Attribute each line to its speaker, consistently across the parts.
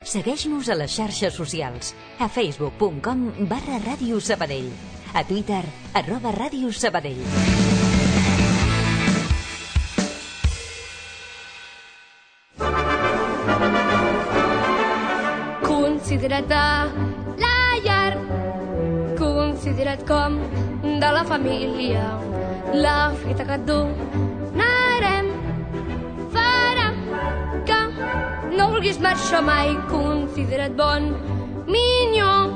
Speaker 1: Segueix-nos a les xarxes socials, a facebook.com/Ràdio Sabadell, a Twitter, @Ràdio Sabadell.
Speaker 2: Considera't a la llar, considera't com de la família. La fita que et donarem farà que no vulguis marxar mai. Considera't bon minyó,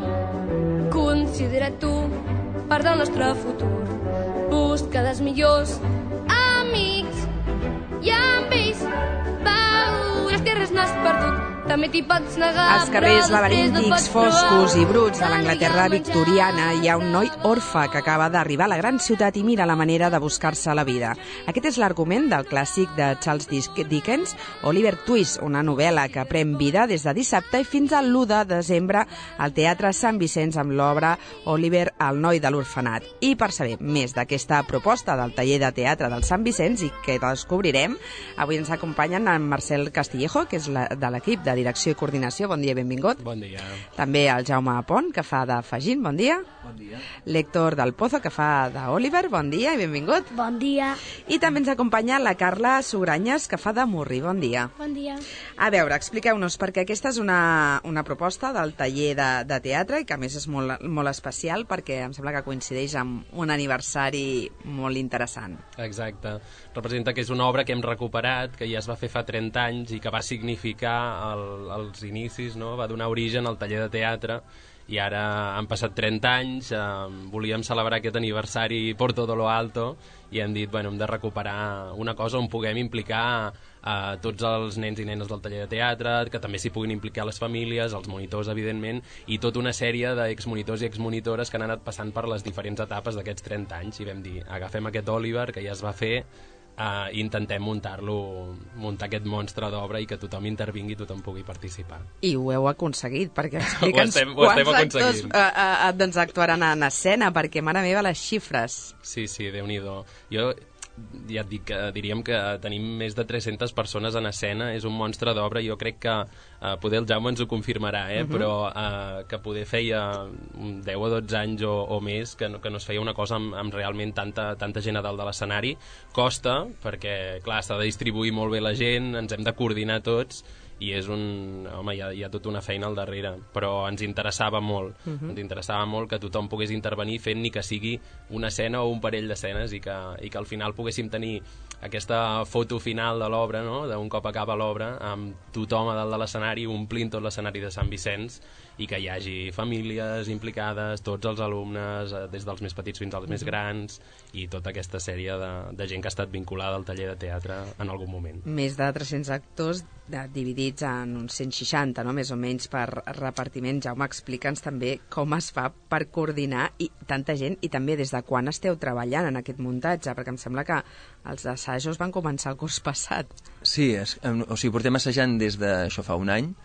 Speaker 2: considera't tu part del nostre futur. Busca dels millors amics i amb ells veuràs que res no has perdut. També t'hi pots negar.
Speaker 3: Als carrers laberíntics, foscos i bruts de l'Anglaterra victoriana hi ha un noi orfe que acaba d'arribar a la gran ciutat i mira la manera de buscar-se la vida. Aquest és l'argument del clàssic de Charles Dickens, Oliver Twist, una novel·la que pren vida des de dissabte i fins al 1 de desembre al Teatre Sant Vicenç amb l'obra Oliver, el noi de l'orfenat. I per saber més d'aquesta proposta del taller de teatre del Sant Vicenç i que descobrirem, avui ens acompanyen en Marcel Castillejo, que és de l'equip de Direcció i Coordinació. Bon dia i benvingut.
Speaker 4: Bon dia.
Speaker 3: També el Jaume Pont, que fa de Fagin. Bon dia.
Speaker 5: Bon dia.
Speaker 3: L'Héctor del Pozo, que fa d'Oliver. Bon dia i benvingut.
Speaker 2: Bon dia.
Speaker 3: I també ens acompanya la Carla Sugranyes, que fa de Murri. Bon dia.
Speaker 2: Bon dia.
Speaker 3: A veure, expliqueu-nos, perquè aquesta és una proposta del taller de teatre i que a més és molt especial perquè em sembla que coincideix amb un aniversari molt interessant.
Speaker 4: Exacte. Representa que és una obra que hem recuperat, que ja es va fer fa 30 anys i que va significar els inicis, no? Va donar origen al taller de teatre i ara han passat 30 anys, volíem celebrar aquest aniversari por todo lo alto i hem dit, bueno, hem de recuperar una cosa on puguem implicar a tots els nens i nenes del taller de teatre, que també s'hi puguin implicar les famílies, els monitors, evidentment, i tota una sèrie d'exmonitors i exmonitores que han anat passant per les diferents etapes d'aquests 30 anys i vam dir, agafem aquest Oliver que ja es va fer, intentem muntar aquest monstre d'obra i que tothom intervingui i tothom pugui participar.
Speaker 3: I ho heu aconseguit, perquè explica'ns
Speaker 4: quants
Speaker 3: actors doncs, actuaran en escena, perquè, mare meva, les xifres.
Speaker 4: Sí, Déu-n'hi-do. Jo ja et dic que diríem que tenim més de 300 persones en escena, és un monstre d'obra, jo crec que poder el Jaume ens ho confirmarà, però que poder feia 10 o 12 anys o més que no es feia una cosa amb realment tanta gent a dalt de l'escenari. Costa, perquè clar, s'ha de distribuir molt bé la gent, ens hem de coordinar tots i és home, hi ha tota una feina al darrere, però ens interessava molt, ens interessava molt que tothom pogués intervenir fent ni que sigui una escena o un parell d'escenes i que al final poguéssim tenir aquesta foto final de l'obra, no? D'un cop acaba l'obra, amb tothom a dalt de l'escenari, omplint tot l'escenari de Sant Vicenç i que hi hagi famílies implicades, tots els alumnes, des dels més petits fins als més grans i tota aquesta sèrie de gent que ha estat vinculada al taller de teatre en algun moment.
Speaker 3: Més de 300 actors dividits en uns 160, no? Més o menys per repartiment. Jaume, explica'ns també com es fa per coordinar tanta gent i també des de quan esteu treballant en aquest muntatge, perquè em sembla que els assajos van començar el curs passat.
Speaker 5: Sí, portem assajant des d'això fa un any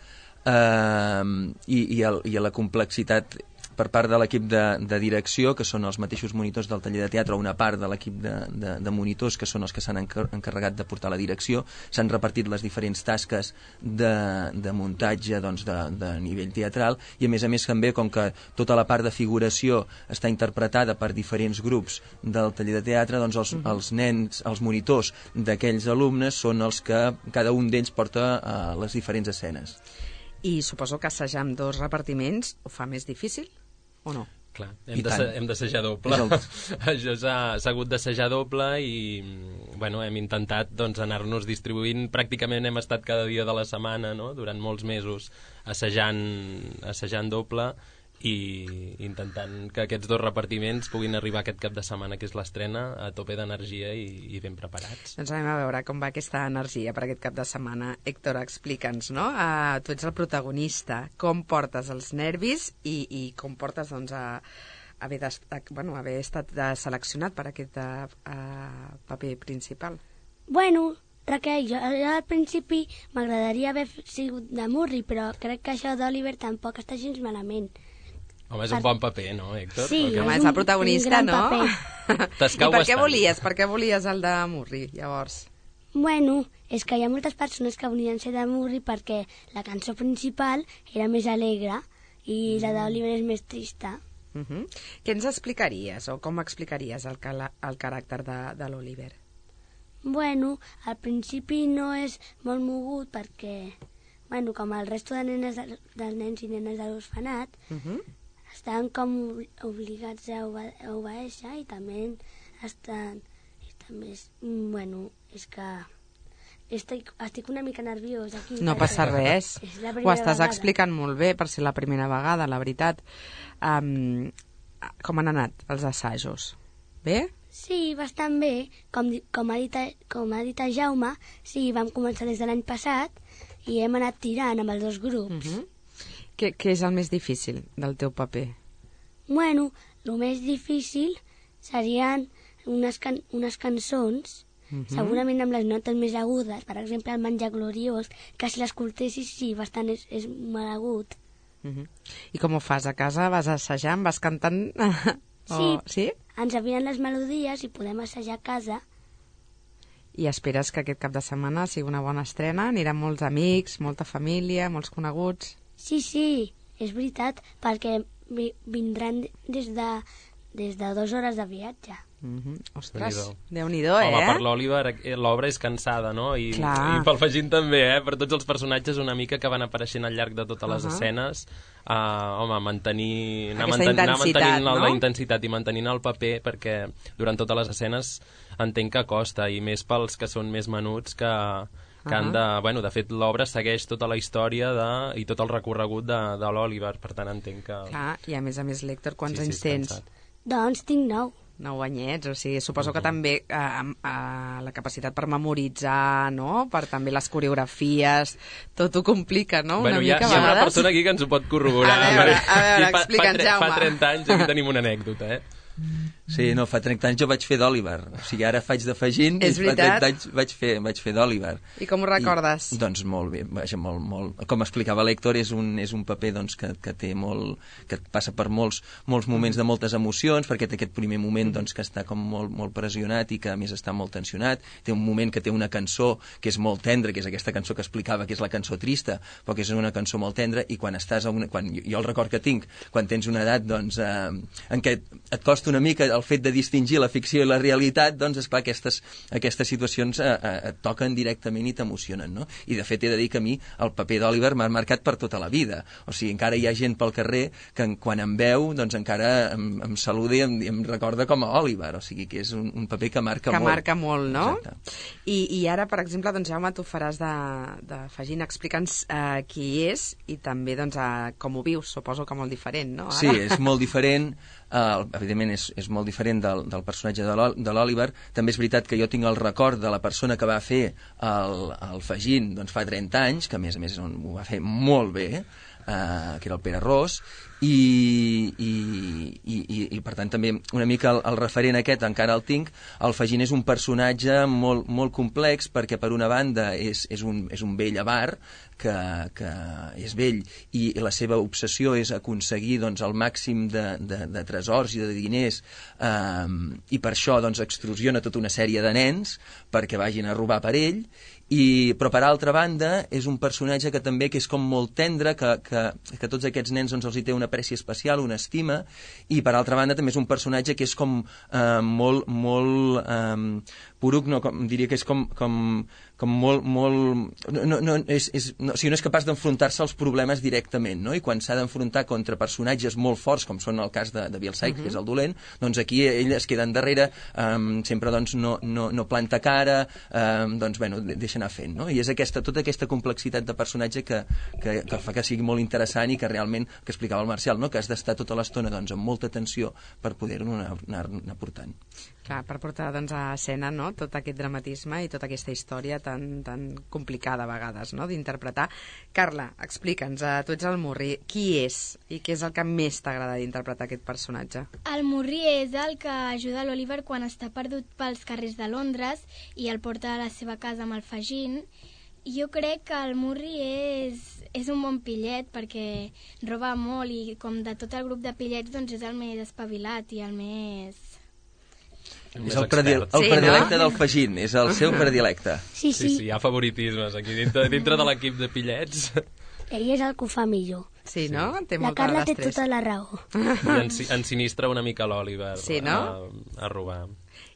Speaker 5: i la complexitat per part de l'equip de direcció, que són els mateixos monitors del taller de teatre, o una part de l'equip de monitors, que són els que s'han encarregat de portar la direcció, s'han repartit les diferents tasques de muntatge de nivell teatral, i a més també, com que tota la part de figuració està interpretada per diferents grups del taller de teatre, doncs els nens, els monitors d'aquells alumnes són els que cada un d'ells porta les diferents escenes.
Speaker 3: I suposo que assajar amb 2 repartiments ho fa més difícil, o no?
Speaker 4: Clar, hem d'assajar doble. Això s'ha hagut d'assajar doble i hem intentat anar-nos distribuint. Pràcticament hem estat cada dia de la setmana, no? Durant molts mesos assajant doble i intentant que aquests 2 repartiments puguin arribar aquest cap de setmana, que és l'estrena, a tope d'energia i ben preparats.
Speaker 3: Doncs anem a veure com va aquesta energia per aquest cap de setmana. Héctor, explica'ns, no? Tu ets el protagonista. Com portes els nervis i com portes haver estat seleccionat per aquest paper principal?
Speaker 6: Bueno, Raquel, jo al principi m'agradaria haver sigut de Murri, però crec que això d'Oliver tampoc està gens malament.
Speaker 4: Home, és un bon paper, no, Héctor?
Speaker 6: Sí,
Speaker 3: és el protagonista, no?
Speaker 4: T'escau
Speaker 3: I per què volies el de Murri, llavors?
Speaker 6: Bueno, és que hi ha moltes persones que volien ser de Murri perquè la cançó principal era més alegre i la d'Oliver és més trista.
Speaker 3: Què ens explicaries o com explicaries el caràcter de l'Oliver?
Speaker 6: Bueno, al principi no és molt mogut perquè, bueno, com el resto de nens i nenes de l'orfenat, estan com obligats a obeeixer i també estan... Bueno, és que estic una mica nerviós aquí.
Speaker 3: No passa res. Ho estàs
Speaker 6: vegada.
Speaker 3: explicant molt bé per ser la primera vegada, la veritat. Com han anat els assajos? Bé?
Speaker 6: Sí, bastant bé. Com ha dit el Jaume, sí, vam començar des de l'any passat i hem anat tirant amb els dos grups.
Speaker 3: Què és el més difícil del teu paper?
Speaker 6: Bueno, el més difícil serien unes cançons, segurament amb les notes més agudes, per exemple el Menjar Gloriós, que si l'escoltessis sí, bastant és molt agut.
Speaker 3: I com ho fas? A casa vas assajant, vas cantant?
Speaker 6: Sí, ens envien les melodies i podem assajar a casa.
Speaker 3: I esperes que aquest cap de setmana sigui una bona estrena? Aniran molts amics, molta família, molts coneguts?
Speaker 6: Sí, és veritat, perquè vindran des de 2 hores de viatge.
Speaker 3: Ostres, Déu-n'hi-do,
Speaker 4: Home, per l'Oliver l'obra és cansada, no? I pel Fagin també, per tots els personatges una mica que van apareixent al llarg de totes les escenes. Home, anar mantenint la intensitat i mantenint el paper, perquè durant totes les escenes entenc que costa, i més pels que són més menuts que han de... Bueno, de fet, l'obra segueix tota la història i tot el recorregut de l'Oliver, per tant entenc que...
Speaker 3: Clar, i a més, L'Héctor, quants anys tens?
Speaker 6: Doncs tinc 9.
Speaker 3: 9 anyets, o sigui, suposo que també la capacitat per memoritzar, no?, per també les coreografies, tot ho complica, no?,
Speaker 4: bueno,
Speaker 3: una mica a vegades.
Speaker 4: Hi ha una persona aquí que ens ho pot corroborar.
Speaker 3: A veure, explica'ns, Jaume.
Speaker 4: Fa 30 anys aquí tenim una anècdota,
Speaker 5: Sí, no, fa 30 anys jo vaig fer d'Oliver. O sigui, ara faig de Fagin i fa 30 anys vaig fer d'Oliver.
Speaker 3: I com ho recordes?
Speaker 5: Doncs molt bé, vaja, molt. Com explicava l'Héctor, és un paper doncs, que té molt... que passa per molts moments de moltes emocions, perquè té aquest primer moment doncs, que està com molt pressionat i que a més està molt tensionat. Té un moment que té una cançó que és molt tendra, que és aquesta cançó que explicava, que és la cançó trista, però que és una cançó molt tendra, i quan estàs jo el record que tinc, quan tens una edat doncs, en què et costa una mica el fet de distingir la ficció i la realitat, doncs, esclar, aquestes situacions et toquen directament i t'emocionen, no? I, de fet, he de dir que a mi el paper d'Oliver m'ha marcat per tota la vida. O sigui, encara hi ha gent pel carrer que quan em veu, doncs, encara em saluda i em recorda com a Oliver. O sigui, que és un paper que marca molt.
Speaker 3: Que marca molt, no?
Speaker 5: Exacte.
Speaker 3: I ara, per exemple, doncs, Jaume, tu faràs de Fagin. Explica'ns qui és i també doncs, com ho vius. Suposo que molt diferent, no? Ara?
Speaker 5: Sí, és molt diferent. Evidentment és molt diferent del personatge de l'Oliver. També és veritat que jo tinc el record de la persona que va fer el Fagin doncs fa 30 anys, que a més ho va fer molt bé, que era el Pere Ros, i per tant també una mica el referent aquest encara el tinc. El Fagin és un personatge molt complex, perquè per una banda és un vell avar que és vell i la seva obsessió és aconseguir doncs, el màxim de tresors i de diners, i per això doncs, extorsiona tota una sèrie de nens perquè vagin a robar per ell. Però per altra banda és un personatge que també és com molt tendre, que tots aquests nens doncs, els hi té una apreci especial, una estima, i per altra banda també és un personatge que és com molt poruc, no, diria que és com molt no és capaç d'enfrontar-se als problemes directament, no? I quan s'ha d'enfrontar contra personatges molt forts, com són el cas de Biel Saik, que és el dolent, doncs aquí ell es queda endarrere, sempre doncs no planta cara, doncs bueno, deixa anar fent, no? I és tota aquesta complexitat de personatge que fa que sigui molt interessant i que realment, que explicava el Marcial, no? Que has d'estar tota l'estona doncs, amb molta tensió per poder-ho anar portant.
Speaker 3: Clar, per portar doncs, a escena, no?, tot aquest dramatisme i tota aquesta història tan complicada a vegades, no?, d'interpretar. Carla, explica'ns, tu ets el Murri, qui és i què és el que més t'agrada d'interpretar aquest personatge?
Speaker 7: El Murri és el que ajuda l'Oliver quan està perdut pels carrers de Londres i el porta a la seva casa amb el Fagin. Jo crec que el Murri és un bon pillet perquè roba molt i com de tot el grup de pillets doncs és el més espavilat i el més
Speaker 5: És el predilecte del Fagin, és el seu predilecte.
Speaker 6: Sí,
Speaker 4: Sí, hi ha favoritismes aquí dintre de l'equip de pillets.
Speaker 6: Ell és el que ho fa millor.
Speaker 3: Sí, no? Té
Speaker 6: La
Speaker 3: molta
Speaker 6: Carla té
Speaker 3: destressa.
Speaker 6: tota la raó.
Speaker 4: I ensinistra una mica l'Oliver
Speaker 3: Sí, no?
Speaker 4: a robar.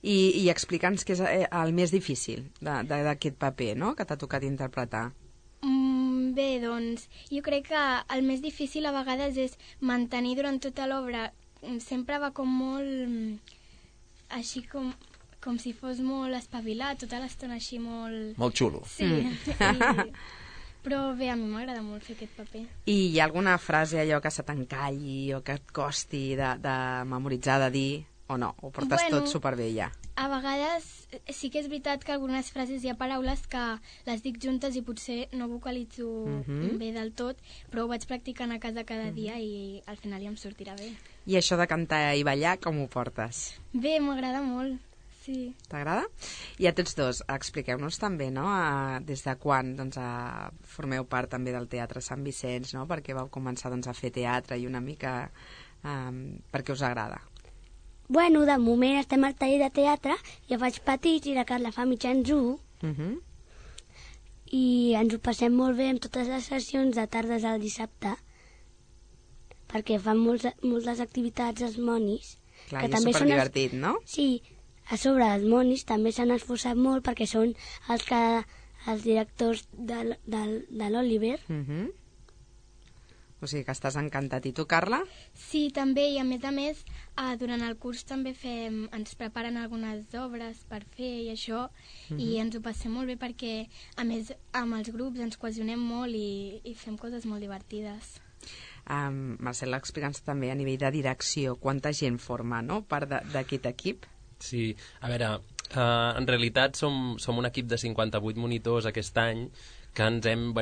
Speaker 3: I explica'ns què és el més difícil d'aquest paper, no?, que t'ha tocat interpretar.
Speaker 7: Bé, doncs, jo crec que el més difícil a vegades és mantenir durant tota l'obra. Sempre va com molt... així com si fos molt espavilat, tota l'estona així molt...
Speaker 5: Molt xulo.
Speaker 7: Sí, però bé, a mi m'agrada molt fer aquest paper.
Speaker 3: I hi ha alguna frase allò que se t'encalli o que et costi de memoritzar, de dir, o no? Ho portes tot superbé ja?
Speaker 7: A vegades sí que és veritat que algunes frases hi ha paraules que les dic juntes i potser no vocalitzo bé del tot, però ho vaig practicant a casa cada dia i al final ja em sortirà bé.
Speaker 3: I això de cantar i ballar, com ho portes?
Speaker 7: Bé, m'agrada molt, sí.
Speaker 3: T'agrada? I a tots dos, expliqueu-nos també, no?, des de quan formeu part també del Teatre Sant Vicenç, no?, perquè vau començar a fer teatre i una mica per què us agrada.
Speaker 6: Bueno, de moment estem al taller de teatre, jo faig petits i la Carla fa mitjans 1, i ens ho passem molt bé amb totes les sessions de tardes al dissabte, perquè fan moltes activitats els monis.
Speaker 3: Clar, i és superdivertit, no?
Speaker 6: Sí, a sobre els monis també s'han esforçat molt perquè són els directors de l'Oliver.
Speaker 3: O sigui que estàs encantat. I tu, Carla?
Speaker 7: Sí, també, i a més, durant el curs també ens preparen algunes obres per fer i això, i ens ho passem molt bé perquè, a més, amb els grups ens cohesionem molt i fem coses molt divertides.
Speaker 3: Marcel, explica'ns també a nivell de direcció, quanta gent forma, no?, part d'aquest equip?
Speaker 4: Sí, a veure, en realitat som un equip de 58 monitors aquest any, que hem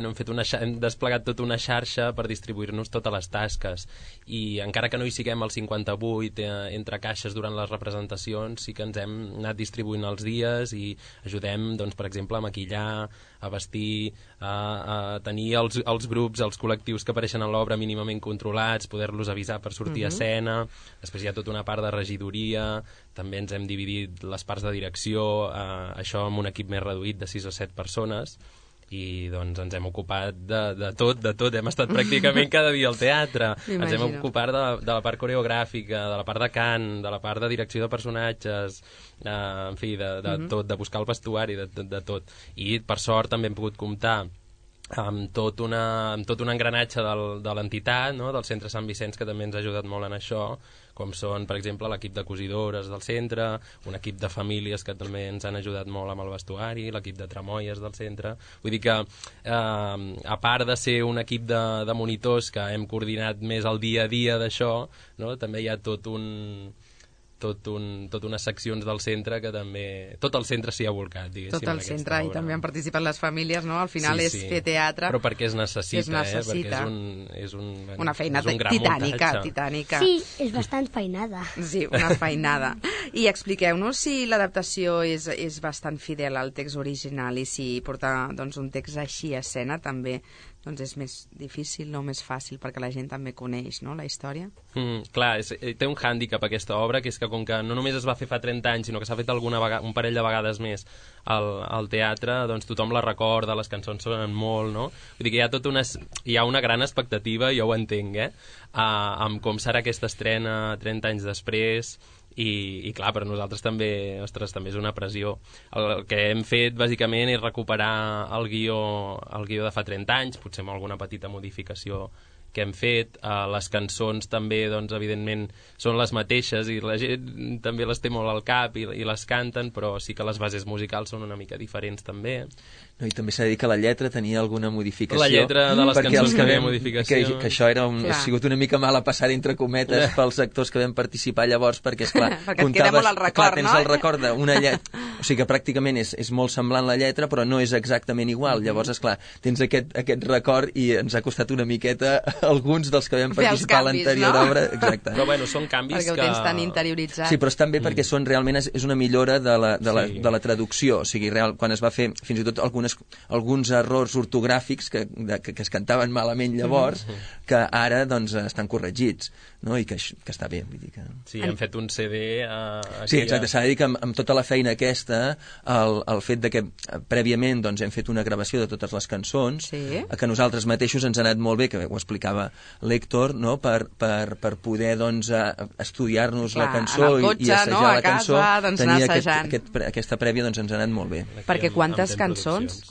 Speaker 4: desplegat tota una xarxa per distribuir-nos totes les tasques, i encara que no hi siguem el 58 entre caixes durant les representacions, sí que ens hem anat distribuint els dies i ajudem, doncs, per exemple, a maquillar, a vestir, a tenir els grups, els col·lectius que apareixen en l'obra mínimament controlats, poder-los avisar per sortir a escena. Després hi ha tota una part de regidoria, també ens hem dividit les parts de direcció, això amb un equip més reduït de 6 o 7 persones, i doncs ens hem ocupat de tot, hem estat pràcticament cada dia al teatre, ens hem ocupat de la part coreogràfica, de la part de cant, de la part de direcció de personatges, en fi, de tot, de buscar el vestuari, de tot. I per sort també hem pogut comptar amb tot un engranatge de l'entitat, no?, del Centre Sant Vicenç, que també ens ha ajudat molt en això, com són, per exemple, l'equip de cosidores del centre, un equip de famílies que també ens han ajudat molt amb el vestuari, l'equip de tramoies del centre. Vull dir que, a part de ser un equip de monitors que hem coordinat més el dia a dia d'això, no?, també hi ha tot unes seccions del centre que també... Tot el centre s'hi ha volcat, diguéssim.
Speaker 3: Tot el centre, i també han participat les famílies, no? Al final és fer teatre...
Speaker 4: Però perquè es necessita, perquè és
Speaker 3: una feina titànica.
Speaker 6: Sí, és bastant feinada.
Speaker 3: Sí, una feinada. I expliqueu-nos si l'adaptació és bastant fidel al text original i si portar un text així a escena també és més difícil o més fàcil perquè la gent també coneix, no?, la història.
Speaker 4: Clar, té un hàndicap aquesta obra, que és que com que no només es va fer fa 30 anys, sinó que s'ha fet un parell de vegades més al teatre, doncs tothom la recorda, les cançons sonen molt, no? Vull dir que hi ha una gran expectativa, jo ho entenc, amb com serà aquesta estrena 30 anys després. I clar, per nosaltres també, ostres, també és una pressió. El que hem fet, bàsicament, és recuperar el guió de fa 30 anys, potser amb alguna petita modificació que hem fet. Les cançons també, doncs, evidentment, són les mateixes i la gent també les té molt al cap i les canten, però sí que les bases musicals són una mica diferents també.
Speaker 5: No, i també s'ha de dir que la lletra tenia alguna modificació.
Speaker 4: La lletra de les cançons que havia modificació.
Speaker 5: Que això ha sigut una mica mala passada, entre cometes, pels actors que vam participar llavors, perquè, esclar,
Speaker 3: comptaves...
Speaker 5: Tens el record d'una lletra... O sigui que pràcticament és molt semblant la lletra, però no és exactament igual. Llavors, esclar, tens aquest record i ens ha costat una miqueta alguns dels que vam participar a l'anterior obra. Exacte.
Speaker 4: Però bueno, són canvis
Speaker 3: perquè ho tens tan interioritzat.
Speaker 5: Sí, però estan bé perquè realment és una millora de la traducció. O sigui, quan es va fer fins i tot alguns errors ortogràfics que es cantaven malament llavors, que ara doncs, estan corregits, no? I que està bé. Vull dir que...
Speaker 4: Sí, hem fet un CD...
Speaker 5: Sí, exacte, s'ha de dir que amb tota la feina aquesta, el fet de que prèviament doncs, hem fet una gravació de totes les cançons, que nosaltres mateixos ens ha anat molt bé, que ho explicava l'Héctor, no? per poder doncs, estudiar-nos la cançó i assajar la cançó, tenir aquesta prèvia doncs, ens ha anat molt bé.
Speaker 3: Perquè quantes cançons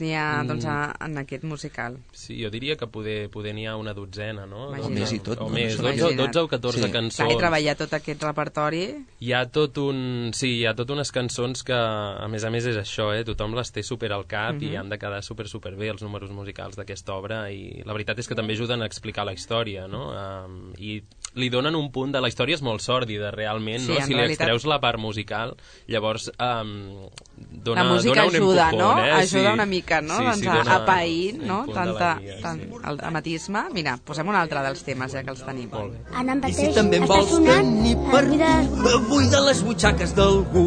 Speaker 3: n'hi ha doncs, en aquest musical?
Speaker 4: Sí, jo diria que poder n'hi ha una dotzena, no?
Speaker 5: O més i tot.
Speaker 4: O més, 12 o 14 cançons.
Speaker 3: Clar, i treballar tot aquest repertori...
Speaker 4: Hi ha tot unes cançons que, a més és això, tothom les té super al cap i han de quedar super bé els números musicals d'aquesta obra, i la veritat és que també ajuden a explicar la història, no? I li donen un punt de... La història és molt sòrdida, realment, no? Si li extreus la part musical, llavors dona
Speaker 3: la música
Speaker 4: un
Speaker 3: ajuda,
Speaker 4: empujón,
Speaker 3: no?
Speaker 4: Eh?
Speaker 3: Ajuda una mica, no?
Speaker 4: Sí,
Speaker 3: doncs a pair, no?
Speaker 4: El
Speaker 3: dramatisme. Mira, posem un altre dels temes, ja que els tenim.
Speaker 6: Anna
Speaker 8: I si també en vols tenir per buida les butxaques d'algú,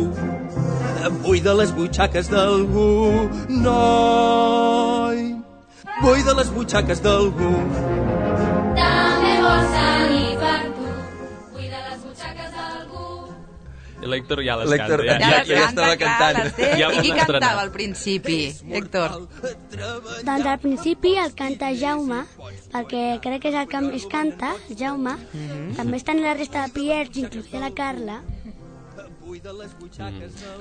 Speaker 8: buida les butxaques d'algú, noi, buida les butxaques d'algú.
Speaker 2: També vols tenir per tu, buida les butxaques d'algú.
Speaker 4: L'Héctor ja les canta.
Speaker 5: Ja estava cantant.
Speaker 3: I qui cantava al principi, Héctor?
Speaker 6: Doncs al principi el canta Jaume, perquè crec que és el que més canta, Jaume. També estan la resta de piets, inclús la Carla.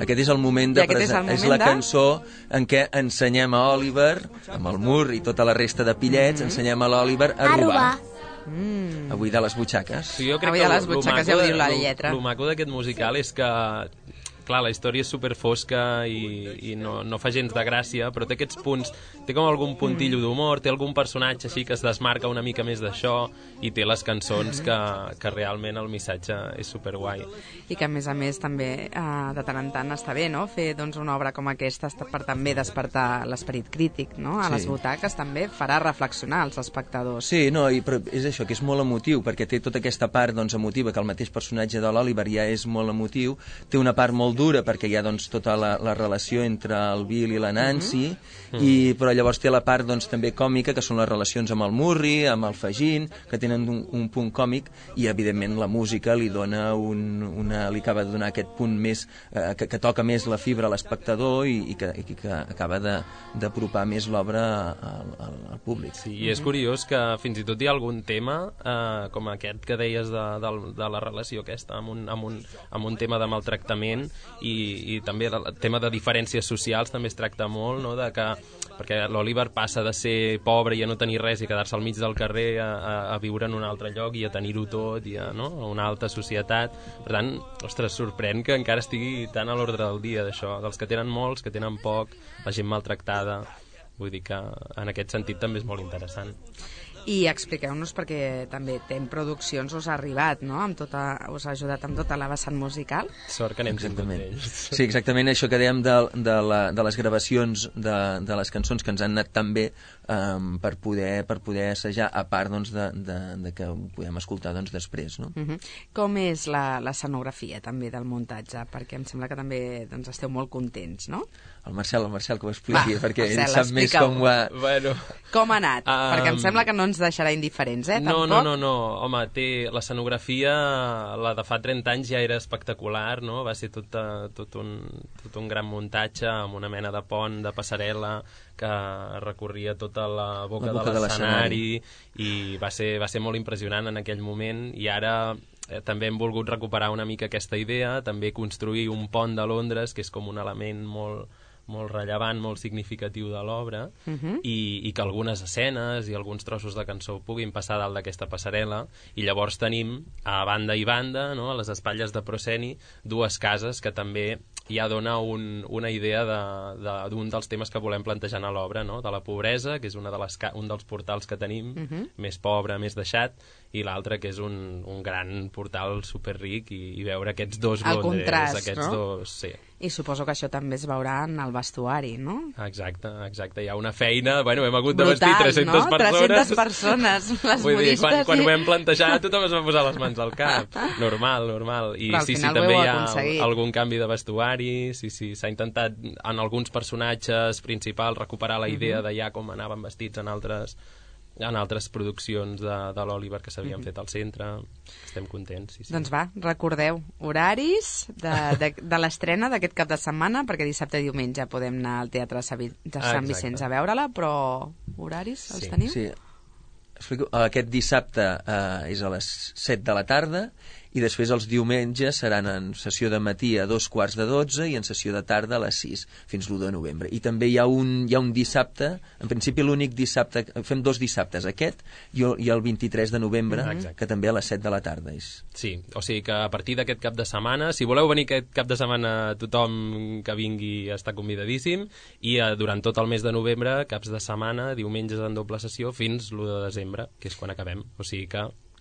Speaker 5: Aquest és el moment de és la cançó en què ensenyem a Oliver, amb el Mur i tota la resta de pillets, ensenyem a l'Oliver a robar. A buidar les butxaques.
Speaker 4: Sí, jo crec que
Speaker 3: les butxaques, ja ho diu la lletra.
Speaker 4: El maco d'aquest musical és que, clar, la història és superfosca i no fa gens de gràcia, però té aquests punts, té com algun puntillo d'humor, té algun personatge així que es desmarca una mica més d'això, i té les cançons que realment el missatge és superguai.
Speaker 3: I que a més també de tant en tant està bé, no? Fer doncs, una obra com aquesta per també despertar l'esperit crític, no? A les butaques també farà reflexionar els espectadors.
Speaker 5: Sí, no, però és això, que és molt emotiu, perquè té tota aquesta part doncs, emotiva, que el mateix personatge de l'Oliver ja és molt emotiu, té una part molt dura, perquè hi ha doncs, tota la relació entre el Bill i la Nancy, però llavors té la part doncs, també còmica, que són les relacions amb el Murray, amb el Fagin, que tenen un punt còmic, i evidentment la música li dona li acaba de donar aquest punt més que toca més la fibra a l'espectador i que acaba d'apropar més l'obra al públic.
Speaker 4: Sí, i és curiós que fins i tot hi ha algun tema com aquest que deies de la relació aquesta amb un tema de maltractament, i també el tema de diferències socials també es tracta molt, no? Perquè l'Oliver passa de ser pobre i a no tenir res i quedar-se al mig del carrer a viure en un altre lloc i a tenir-ho tot, i a una alta societat. Per tant, ostres, sorprèn que encara estigui tan a l'ordre del dia d'això, dels que tenen molts, que tenen poc, la gent maltractada. Vull dir que en aquest sentit també és molt interessant.
Speaker 3: I expliqueu-nos, perquè també Tem Produccions us ha arribat, no? Us ha ajudat amb tota la vessant musical.
Speaker 4: Sort que anem sempre amb ells.
Speaker 5: Sí, exactament, això que dèiem de les gravacions de les cançons que ens han anat tan bé per poder assajar, a part doncs, de que ho podem escoltar doncs, després. No?
Speaker 3: Com és l'escenografia també del muntatge? Perquè em sembla que també doncs, esteu molt contents, no?
Speaker 5: El Marcel que ho expliqui, perquè ell sap més com ho ha...
Speaker 4: Bueno.
Speaker 3: Com ha anat? Perquè em sembla que no ens deixarà indiferents, tampoc?
Speaker 4: No. Home, l'escenografia, la de fa 30 anys ja era espectacular, no? Va ser tot un gran muntatge amb una mena de pont, de passarel·la, que recorria tota la boca de l'escenari, i va ser molt impressionant en aquell moment, i ara també hem volgut recuperar una mica aquesta idea, també construir un pont de Londres, que és com un element molt rellevant, molt significatiu de l'obra, i que algunes escenes i alguns trossos de cançó puguin passar dalt d'aquesta passarel·la, i llavors tenim a banda i banda, no, a les espatlles de Prosceni, dues cases que també ja dona una idea d'un dels temes que volem plantejar a l'obra, no? De la pobresa, que és un dels portals que tenim, més pobre, més deixat, i l'altre que és un gran portal superric, i veure aquests dos Londres,
Speaker 3: contrast,
Speaker 4: aquests
Speaker 3: no?
Speaker 4: dos... Sí.
Speaker 3: I suposo que això també es veurà en el vestuari, no?
Speaker 4: Exacte. Hi ha una feina... Bueno, hem hagut de
Speaker 3: brutal,
Speaker 4: vestir 300
Speaker 3: no?
Speaker 4: persones.
Speaker 3: 300 persones, les
Speaker 4: vull dir,
Speaker 3: modistes...
Speaker 4: quan ho vam plantejar, tothom es va posar les mans al cap. Normal. I sí, també hi ha algun canvi de vestuari, sí, s'ha intentat en alguns personatges principals recuperar la idea de ja com anaven vestits en altres en altres produccions de l'Oliver que s'havien fet al centre. Estem contents. Sí.
Speaker 3: Doncs va, recordeu, horaris de l'estrena d'aquest cap de setmana, perquè dissabte i diumenge podem anar al Teatre de Sant Vicenç a veure-la, però horaris els teniu?
Speaker 5: Sí. Explico. Aquest dissabte és a les 7 de la tarda i després els diumenges seran en sessió de matí a 11:45 i en sessió de tarda a les 6 fins l'1 de novembre. I també hi ha un dissabte, en principi l'únic dissabte, fem 2 dissabtes, aquest i el 23 de novembre, que també a les 7 de la tarda és.
Speaker 4: Sí, o sigui que a partir d'aquest cap de setmana, si voleu venir aquest cap de setmana, tothom que vingui està convidadíssim, i durant tot el mes de novembre, caps de setmana, diumenges en doble sessió, fins l'1 de desembre, que és quan acabem. O sigui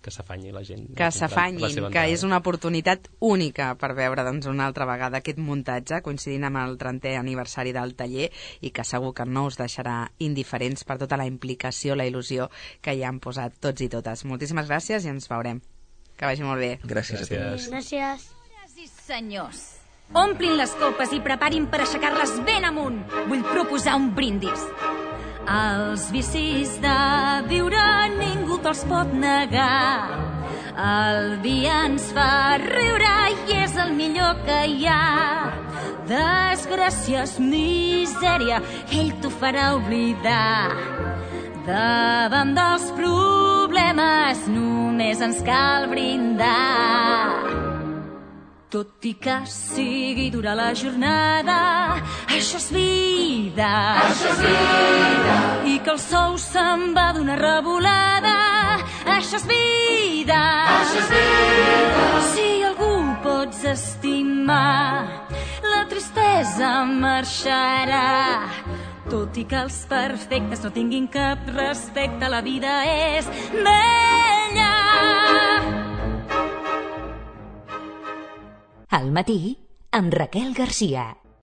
Speaker 4: que s'afanyi la gent.
Speaker 3: Que s'afanyin, que és una oportunitat única per veure una altra vegada aquest muntatge, coincidint amb el 30è aniversari del taller, i que segur que no us deixarà indiferents per tota la implicació, la il·lusió que hi han posat tots i totes. Moltíssimes gràcies i ens veurem. Que vagi molt bé.
Speaker 5: Gràcies a tots.
Speaker 6: Gràcies.
Speaker 1: Senyores i senyors, omplin les copes i preparin per aixecar-les ben amunt. Vull proposar un brindis. Els vicis de viure ningú te'ls pot negar. El vi ens fa riure i és el millor que hi ha. Desgràcies, misèria, ell t'ho farà oblidar. Davant dels problemes només ens cal brindar. Tot i que sigui dura la jornada, això és vida. Això és vida. I que el sou se'n va d'una revolada, això és vida. Això és vida. Si algú pots estimar, la tristesa marxarà. Tot i que els perfectes no tinguin cap respecte, la vida és bella. Al matí, amb Raquel Garcia.